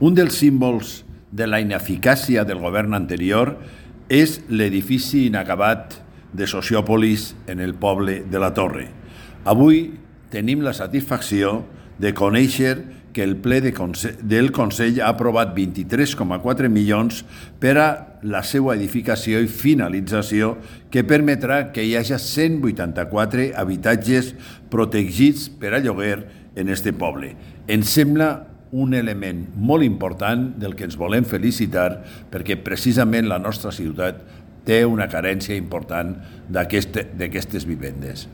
Un dels símbols de la ineficàcia del govern anterior és l'edifici inacabat de Sociòpolis en el poble de la Torre. Avui tenim la satisfacció de conèixer que el ple del Consell ha aprovat 23,4 milions per a la seva edificació i finalització, que permetrà que hi hagi 184 habitatges protegits per a lloguer en este poble. Ens sembla un element molt important del que ens volem felicitar, perquè precisament la nostra ciutat té una carència important d'aquestes vivendes.